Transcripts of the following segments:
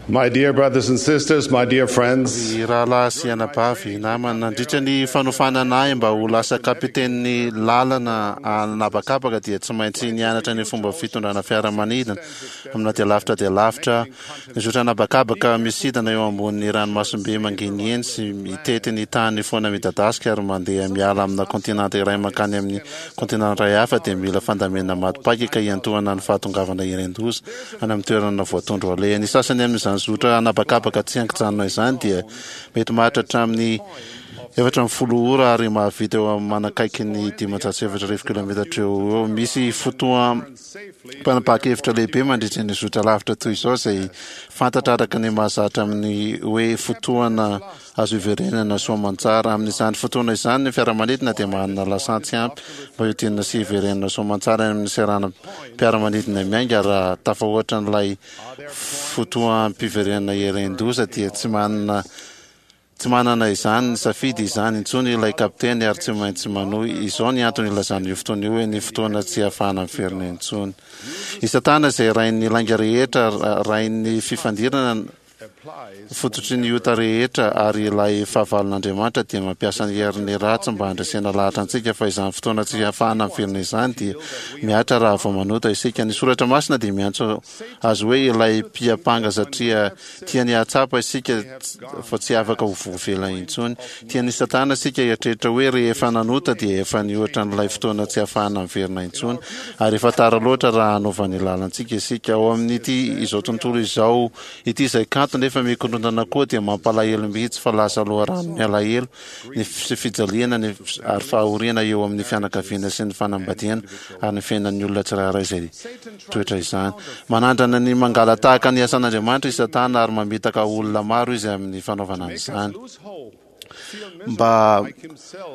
My dear brothers and sisters, my dear friends, Ry rahalahy sy anabavy namana, nandritra ny fanofanana ahy mba ho lasa kapitenin'ny lalana an'habakabaka dia tsy maintsy nianatra ny fomba fitondrana fiaramanidina amina dia lavitra dia lavitra aho. Nizotra an'habakabaka misidina eo ambonin'ny ranomasimbe mangeniheny sy mitety ny tany foana midadasika ary mandeha miala amina kontinanta iray mankany amin'ny kontinanta iray hafa dia mila fandaminana maty paika ka hiantohana ny fahatongavana hieren-doza any amin'ny toerana voatondro aleha. Ny sasany amin'izany zotra an'habakabaka tsy an-kijanona izany dia mety maharitra hatramin'ny 14 ora ary mahavita eo amin'ny manakaiky ny 4500 kilometatra eo ho eo. Misy fotoam-panapahan-kevitra lehibe mandritra ny zotra lavitra toy izao izay fantatra araka ny mahazatra amin'ny hoe fotoana Azo iverenana soamantsara. Amin'izany fotoana izany, ny fiaramanidina dia manana lasantsy ampy mba hiodinana sy hiverenana soamantsara any amin'ny seranam-piaramanidina miainga. Raha tafahoatra an'ilay fotoam-piverenana hieren-doza, dia tsy manana tsy manana izany safidy izany intsony ilay kapiteny ary tsy maintsy manohy. Izao ny antony ilazana io fotoana io hoe ny fotoana tsy ahafahana miverina intsony. I Satana izay rain'ny lainga rehetra, rain'ny fifandirana, Fototry ny ota rehetra ary ilay fahavalon'Andriamanitra dia mampiasa ny heriny ratsy mba handresena lahatra antsika fa izany fotoana tsy hahafahana mivelona izany dia mihatra raha vao manota isika. Ny Soratra Masina dia miantso azy hoe ilay mpiampanga satria tiany hahatsapa isika fa tsy afaka ho voavela intsony. Tian'i Satana isika hieritreritra hoe rehefa nanota dia efa nihoatra an'ilay fotoana tsy hahafahana miverina intsony ary efa tara loatra raha hanova ny lalantsika isika. Ao amin'ity izao tontolo izao ity izay kanto nefa mikorontana koa dia mampalahelo mihitsy fa lasa loharanon'ny alahelo ny sy fijaliana ny ary fahoriana eo amin'ny fianakaviana sy ny fanambadiana ary ny fiainan'ny olona tsirairay izay toetra izany. Manandrana ny mangala-tahaka ny asan'Andriamanitra i Satana ary mamitaka olona maro izy amin'ny fanaovana an'izany. Mba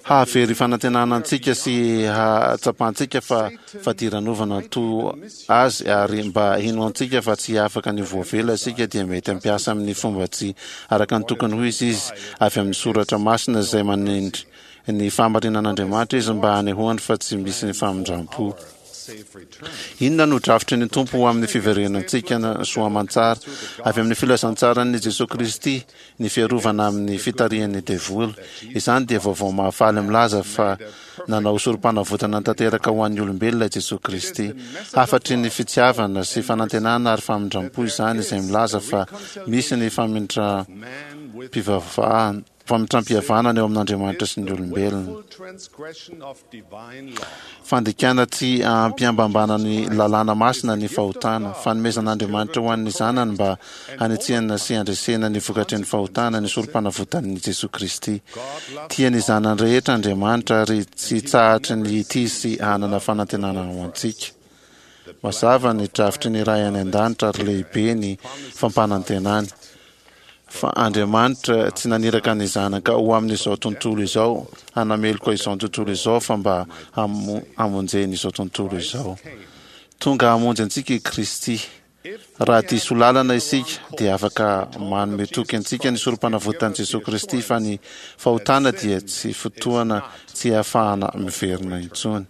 hahavery fanantenana antsika sy hahatsapantsika fa fadiranovana toa azy ary mba hinoantsika fa tsy afaka ny ho voavela isika dia mety hampiasa amin'ny fomba tsy araka ny tokony ho izy izy avy amin'ny soratra masina izay manindry ny fahamarinan'Andriamanitra izy mba hanehoany fa tsy misy ny famindram-po. Inona no drafitry ny Tompo ho amin'ny fiverenantsika soa aman-tsara avy amin'ny filazantsaran'i Jesoa Kristy ny fiarovana amin'ny fitarihan'ny devoly? Izany dia vaovao mahafaly milaza fa nanao sorom-panavotana tanteraka ho an'ny olombelona i Jesoa Kristy. Hafatry ny fitiavana sy fanantenana ary famindram-po izany izay milaza fa misy ny famindram-pivavahana Famitram-pihavanana eo amin'Andriamanitra sy ny olombelona. Fandikana tsy ampiambambana ny lalàna masina ny fahotana. Fanomezan'Andriamanitra ho an'ny zanany mba hanetsehana sy handresena ny vokatry ny fahotana ny sorom-panavotan'i Jesoa Kristy. Tia ny zanany rehetra Andriamanitra ary tsy hitsahatry ny hitia sy hanana fanantenana ho antsika. Mazava ny drafitry ny Ray any An-danitra ary lehibe ny fampanantenany. Fa Andriamanitra tsy naniraka ny Zanaka ho amin'izao tontolo izao hanameloka izao tontolo izao fa mba hamonjeny izao tontolo izao. Tonga hamonjy antsika i Kristy. Raha diso lalana isika dia afaka manome toky antsika ny Sorompanavotan'i Jesoa Kristy fa ny fahotana dia tsy fotoana tsy ahafahana miverina intsony.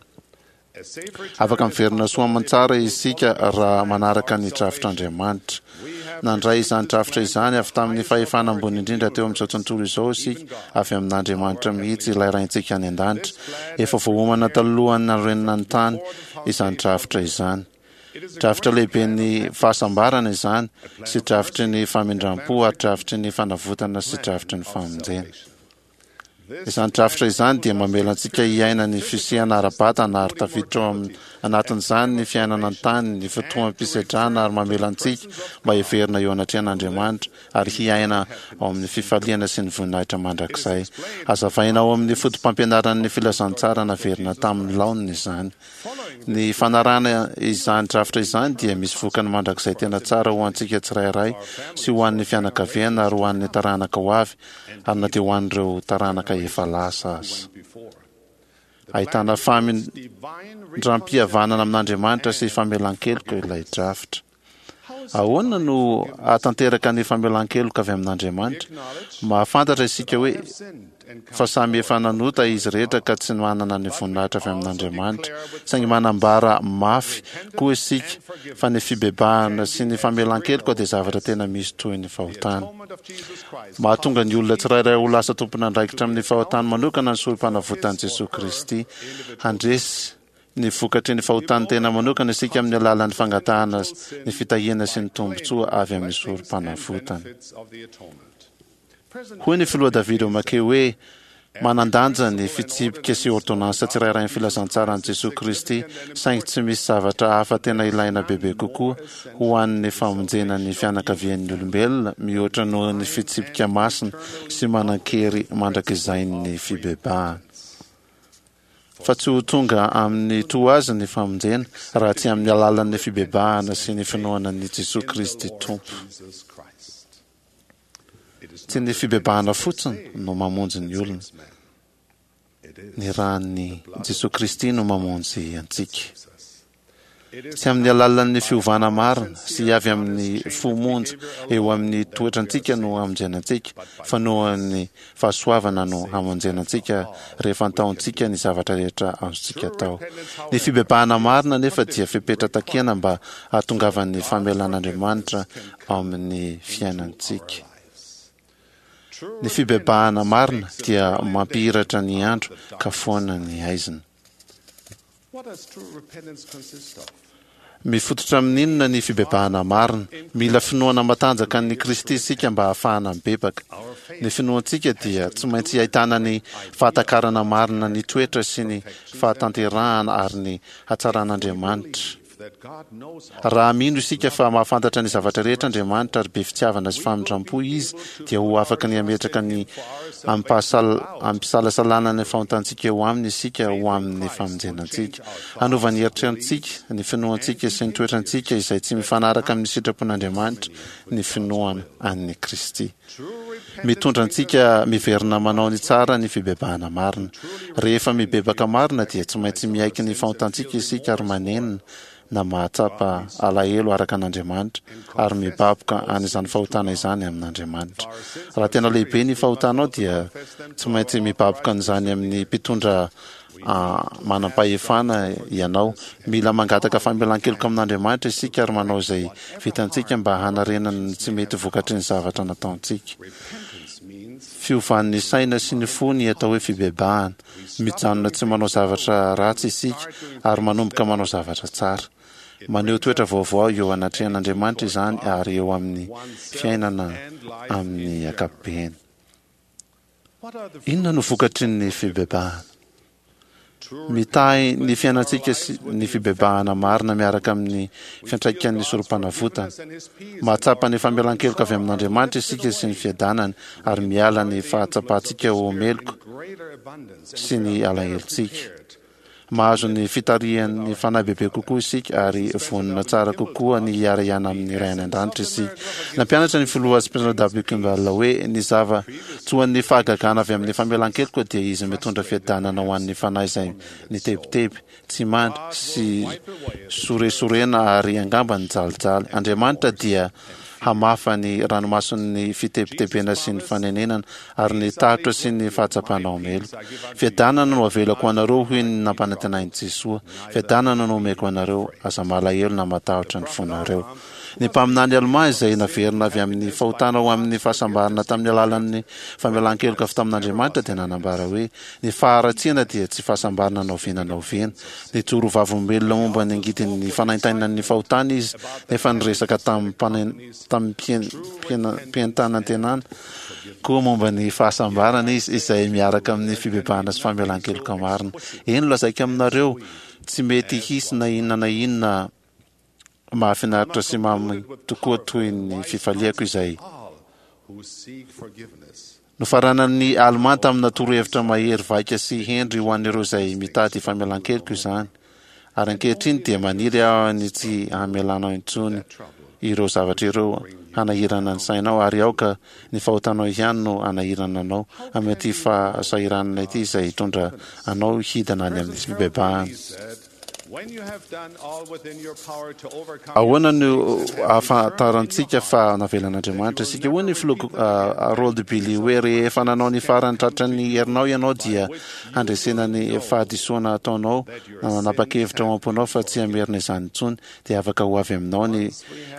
Afaka miverina soa aman-tsara isika raha manaraka ny drafitr'Andriamanitra. Nandray izany drafitra izany avy tamin'ny fahefana ambony indrindra teo amin'izao tontolo izao isika, avy amin'Andriamanitra mihitsy, ilay Raintsika any an-danitra. Efa voaomana talohan'ny nanorenana ny tany izany drafitra izany. Drafitra lehiben'ny fahasambarana izany, sy drafitry ny famindram-po ary drafitry ny fanavotana sy drafitry ny famonjena. Izany drafitra izany dia mamela antsika hiaina ny fisiana ara-batana ary tafiditra ao anatin'izany ny fiainana an-tany, ny fotoam-pisedrana ary mamela antsika mba hiverina eo anatrehan'Andriamanitra ary hiaina ao amin'ny fifaliana sy ny voninahitra mandrakizay. Hazavaina ao amin'ny fotopampianaran'ny filazantsara naverina tamin'ny laoniny izany. Ny fanarahana izany drafitra izany dia misy vokany mandrakizay tena tsara ho antsika tsirairay sy ho an'ny fianakaviana ary ho an'ny taranaka ho avy ary na dia ho an'ireo taranaka efa lasa aza. Ahitana famindram-pihavanana amin'Andriamanitra sy famelan-keloka ilay drafitra. Ahoana no hahatanteraka ny famelan-keloka avy amin'Andriamanitra? Mahafantatra isika hoe fa samy efa nanota izy rehetra ka tsy manana ny voninahitra avy amin'Andriamanitra. Saingy manambara mafy koa isika fa ny fibebahana sy ny famelan-keloka dia zavatra tena misy toy ny fahotana. Mahatonga ny olona tsirairay ho lasa tompon'andraikitra amin'ny fahotany manokana ny Sorompanavotan'i Jesoa Kristy. Handresy ny vokatry ny fahotan'ny tena manokana isika amin'ny alalan'ny fangatahana ny fitahiana sy ny tombontsoa avy amin'ny Sorompanavotana. Hoy ny Filoha David O. McKay hoe, Manan-danja ny fitsipika sy ôrdônansa tsirairain'ny filazantsaran'i Jesoa Kristy, saingy tsy misy zavatra hafa tena ilaina bebe kokoa ho an'ny famonjena ny fianakavian'ny olombelona mihoatra noho ny fitsipika masina sy manan-kery mandrakizain'ny fibebahana. Fa tsy ho tonga amin'ny toa azy ny famonjena raha tsy amin'ny alalan'ny fibebahana sy ny finoana an'i Jesoa Kristy Tompo. Tsy ny fibebahana fotsiny no mamonjy ny olona. Ny ran'i Jesoa Kristy no mamonjy antsika. Tsy amin'ny alalan'ny fiovana marina sy avy amin'ny fo monja eo amin'ny toetrantsika no hamonjena antsika, fa noho ny fahasoavana no hamonjena antsika rehefa antaontsika ny zavatra rehetra azontsika atao. Ny fibebahana marina anefa dia fepetra takiana mba hahatongavan'ny famelan'Andriamanitra ao amin'ny fiainantsika. Ny fibebahana marina dia mampihiratra ny andro ka foana ny haizina. Mifototra amin'inona ny fibebahana marina? Mila finoana matanjaka an'i Kristy isika mba hahafahana mibebaka. Ny finoantsika dia tsy maintsy ahitana ny fahatakarana marina ny toetra sy ny fahatanterahana ary ny hatsaran'Andriamanitra. Raha mino isika fa mahafantatra ny zavatra rehetra Andriamanitra ary be fitiavana sy famindram-po Izy, dia ho afaka ny hametraka ny amim-pisalasalana ny fahotantsika eo Aminy isika ho amin'ny famonjena antsika. Hanova ny eritrerantsika, ny finoantsika sy ny toetrantsika izay tsy mifanaraka amin'ny sitrapon'Andriamanitra ny finoana an'i Kristy. Mitondra antsika miverina manao ny tsara ny fibebahana marina. Rehefa mibebaka marina dia tsy maintsy miaiky ny fahotantsika isika ary manenina na mahatsapa alahelo araka an'Andriamanitra ary mibaboka an'izany fahotana izany amin'Andriamanitra. Raha tena lehibe ny fahotanao dia tsy maintsy mibaboka an'izany amin'ny mpitondra manam-pahefana ianao. Mila mangataka famelan-keloka amin'Andriamanitra isika ary manao izay vitantsika mba hanarenana ny tsy mety vokatry ny zavatra nataontsika. Fiovan'ny saina sy ny fo ny atao hoe fibebahana. Mijanona tsy manao zavatra ratsy isika ary manomboka manao zavatra tsara. Maneho toetra vaovao eo anatrehan'Andriamanitra izany ary eo amin'ny fiainana amin'ny ankapobeny. Inona no vokatry ny fibebahana? Mitahy ny fiainantsika sy ny fibebahana marina miaraka amin'ny fiantraikan'ny Sorompanavotana. Mahatsapa ny famelan-keloka avy amin'Andriamanitra isika sy ny fiadanany ary miala ny fahatsapantsika ho meloka sy ny alahelontsika. Mahazo ny fitarihan'ny Fanahy bebe kokoa isika ary vonona tsara kokoa ny hiara-hiana amin'ny Ray any An-danitra isika. Nampianatra ny Filoha Spencer W. Kimball hoe ny zava-tsoan'ny fahagagana avy amin'ny famelan-keloka dia izy mitondra fiadanana ho an'ny fanahy izay nitebiteby, tsy mandry, sy soresorena ary angamba nijalijaly. Andriamanitra dia hamafa ny ranomason'ny fitebitebena sy ny fanenenana ary ny tahotra sy ny fahatsapana ho meloka. Fiadanana no avelako ho anareo hoy ny nampanantenain'i Jesoa. Fiadanana no omeko anareo, aza malahelo na matahotra ny fonareo. Ny mpaminany Almà izay naverina avy amin'ny fahotana ho amin'ny fahasambarana tamin'ny alalan'ny famelan-keloka avy tamin'Andriamanitra dia nanambara hoe, Ny faharatsiana dia tsy fahasambarana na oviana na oviana. Nijoro ho vavolombelona momba ny angidin'ny fanaintainan'ny fahotana izy, nefa niresaka tamim-pientanantenana koa momba ny fahasambarana izy, izay miaraka amin'ny fibebahana sy famelan-keloka marina. Eny, lazaiko aminareo, tsy mety hisy na inona na inona mahafinaritra sy mamy tokoa toy ny fifaliako izay Nofaranan'ny Alemà tamina torohevitra mahery vaika sy hendry ho an'ireo izay mitady famelan-keloka izany. Ary ankehitriny dia maniry aho ny tsy hamelanao intsony ireo zavatra ireo hanahirana ny sainao, ary aoka ny fahotanao ihany no hanahirana anao amin'ity fahasahiranana ity izay hitondra anao hidina any amin'ny fibebahana. Ahoana no ahafantarantsika fa navelan'Andriamanitra isika? Hoy ny filoha Harold Billy hoe, Rehefa nanao ny farany tratran'ny herinao ianao dia handresena ny fahadisoana ataonao na nanapa-kevitra ao am-ponao fa tsy hamerina izany intsony, dia afaka ho avy aminao ny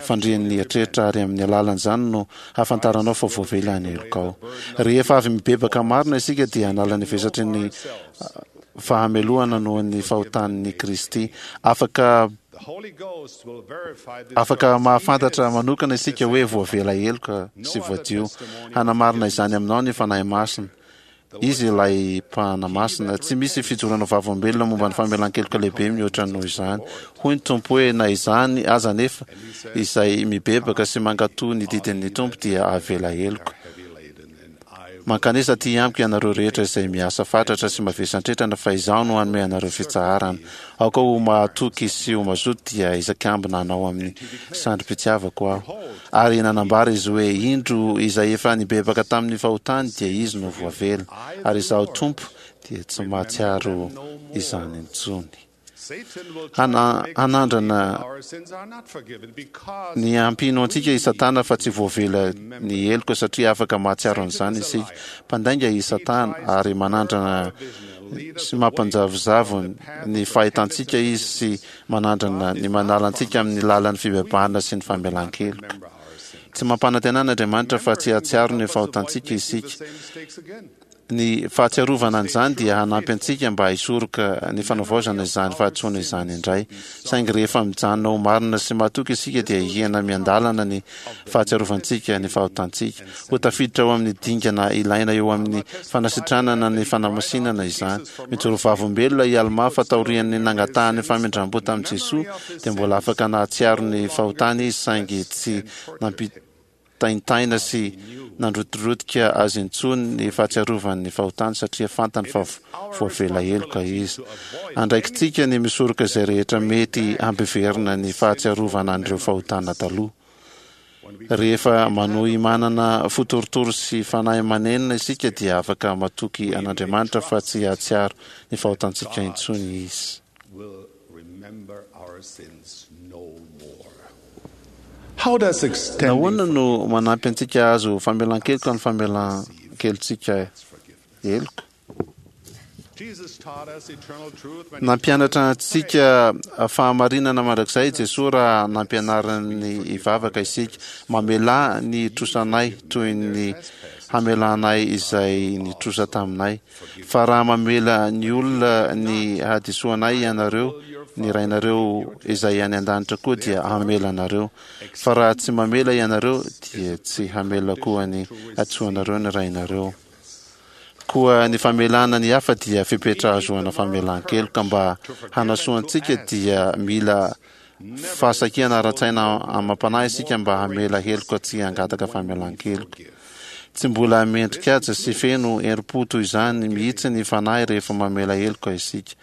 fandrian'ny eritreritra ary amin'ny alalan'izany no hahafantaranao fa voavela ny helokao. Rehefa avy mibebaka marina isika dia hanala ny vesatry ny fahamelohana noho ny fahotan'i Kristy. Afaka afaka mahafantatra manokana isika hoe voavela heloka sy voadio. Hanamarina izany aminao ny Fanahy Masina. Izy ilay Mpanamasina. Tsy misy fijoroana vavolombelona momba ny famelan-keloka lehibe mihoatra noho izany. Hoy ny Tompo hoe, Na izany aza anefa, izay mibebaka sy mankatò ny didin'ny Tompo dia avela heloka. Mankanesa aty amiko ianareo rehetra izay miasa fatratra sy mavesan-tretrana, fa Izaho no hanome anareo fitsaharana. Aoka ho mahatoky sy ho mazoto dia hisakambina anao amin'ny sandrim-pitiavako Aho. Ary nanambara izy hoe, Indro, izay efa nibebaka tamin'ny fahotany dia izy no voavela, ary Izaho Tompo dia tsy mahatsiaro izany intsony. Hanandrana ny hampino antsika i Satana fa tsy voavela ny heloka satria afaka mahatsiaro an'izany isika. Mpandainga i Satana ary manandrana sy mampanjavozavo ny fahitantsika izy sy manandrana ny manala antsika amin'ny lalan'ny fibebahana sy ny famelan-keloka. Tsy mampanantena an'Andriamanitra fa tsy hahatsiaro ny fahotantsika isika. Ny fahatsiarovana an'izany dia hanampy antsika mba hisoroka ny fanavaozana izany fahadisoana izany indray. Saingy rehefa mijanona ho marina sy mahatoky isika dia hihena miandalana ny fahatsiarovantsika ny fahotantsika. Ho tafiditra ao amin'ny dingana ilaina eo amin'ny fanasitranana ny fanamasinana izany. Mijoro vavolombelona i Almà fa taorian'ny nangatahany famindram-po tamin'i Jesoa dia mbola afaka nahatsiaro ny fahotany izy saingy tsy nampitaintaina sy nandrotidrotika azy intsony ny fahatsiarovany ny fahotany satria fantany fa voavela heloka izy. Andraikitsika ny misoroka izay rehetra mety hampiverina ny fahatsiarovana an'ireo fahotana taloha. Rehefa manohy manana fo torotoro sy fanahy manenina isika dia afaka matoky an'Andriamanitra fa tsy hahatsiaro ny fahotantsika intsony Izy. Nahoana no manampy antsika hahazo famelan-keloka ny famelan-kelotsika heloka? Nampianatra antsika fahamarinana mandrakizay i Jesoa raha nampianariny hivavaka isika, Mamelà ny trosanay toy ny hamelanay izay nitrosa taminay. Fa raha mamela ny olona ny hadisoanay ianareo, ny Rainareo izay any an-danitra koa dia hamela anareo. Fa raha tsy mamela ianareo, dia tsy hamela koa ny hadisoanareo ny Rainareo. Koa ny famelana ny hafa dia fepetra ahazoana famelan-keloka. Mba hanasoa antsika dia mila fahasakiana ara-tsaina amam-panahy isika mba hamela heloka tsy hangataka famelan-keloka. Tsy mbola mendri-kaja sy feno herim-po toy izany mihitsy ny fanahy rehefa mamela heloka isika.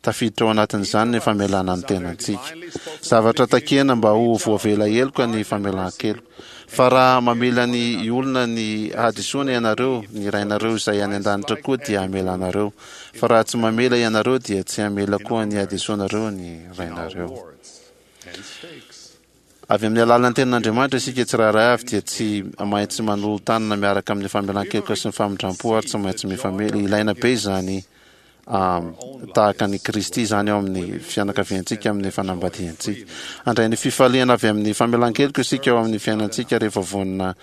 Tafiditra ao anatin'izany ny famelana ny tenantsika. Zavatra takiana mba ho voavela heloka ny famelan-keloka. Fa raha mamela ny olona ny hadisoany ianareo, ny Rainareo izay any an-danitra koa dia hamela anareo. Fa raha tsy mamela ianareo, dia tsy hamela koa ny hadisoanareo ny Rainareo. Avy amin'ny alalan'ny Tenin'Andriamanitra isika tsirairay avy dia tsy maintsy manolo-tanana miaraka amin'ny famelan-keloka sy ny famindram-po ary tsy maintsy mifamela. Ilaina be izany tahaka an'i Kristy izany ao amin'ny fianakaviantsika, amin'ny fanambadiantsika. Handray ny fifaliana avy amin'ny famelan-keloka isika ao amin'ny fiainantsika rehefa vonona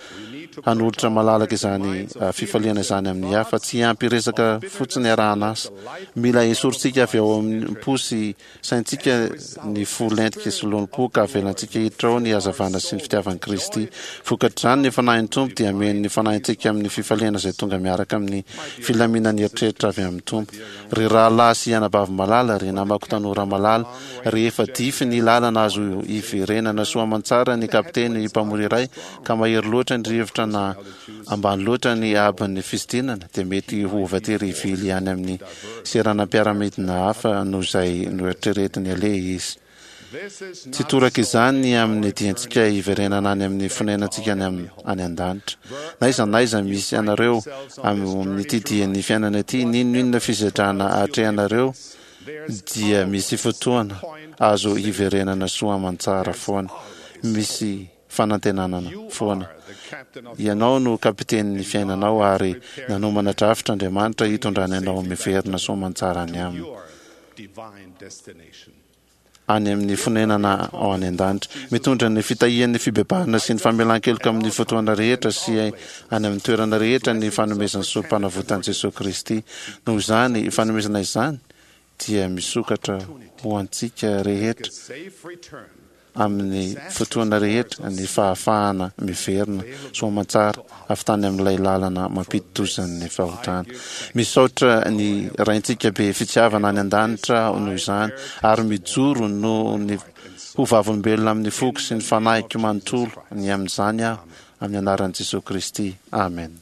hanolotra malalaka izany fifaliana izany amin'ny hafa. Tsy ampy resaka fotsiny arahan'asa. Mila esorintsika avy ao amin'ny po sy Saintsika ny fo lentika sy lolompo ka avelantsika hiditra ao ny hazavana sy ny fitiavan'i Kristy. Vokatr'izany, ny Fanahin'ny Tompo dia hameno ny fanahintsika amin'ny fifaliana izay tonga miaraka amin'ny filaminan'ny eritreritra avy amin'ny Tompo. Ry rahalahy sy anabavy malala, ry namako tanora malala, rehefa dify ny lalana azo iverenana soa aman-tsara ny kapiteny mpamory iray ka mahery loatra ny rivotra na ambany loatra ny haabon'ny fisidinana dia mety ho voatery hivily any amin'ny seranam-piaramanidina hafa noho izay noeritreretiny aleha izy. Tsy toraka izany ny amin'ny diantsika hiverenana any amin'ny fonenantsika any any an-danitra. Na aiza na aiza misy anareo amin'ity dian'ny fiainana ity, n'inon'inona fisedrana atrehanareo, dia misy fotoana azo hiverenana soa aman-tsara foana. Misy fanantenanana foana. Ianao no kapitenin'ny fiainanao ary nanomana drafitra Andriamanitra hitondrany anao miverina soa aman-tsara any aminy. Any amin'ny fonenana ao any an-danitra. Mitondra ny fitahian'ny fibebahana sy ny famelan-keloka amin'ny fotoana rehetra sy any amin'ny toerana rehetra ny fanomezan'ny Sorompanavotan'i Jesoa Kristy. Noho izany fanomezana izany dia misokatra ho antsika rehetra amin'ny fotoana rehetra ny fahafahana miverina soamantsara avy tany amin'ilay lalana mampidi-dozan'ny fahotana. Misaotra ny Raintsika be fitiavana any an-danitra aho noho izany, ary mijoro noho ny ho vavolombelona amin'ny foko sy ny fanahiko manontolo ny amin'izany aho, amin'ny anaran'i Jesoa Kristy. Amen.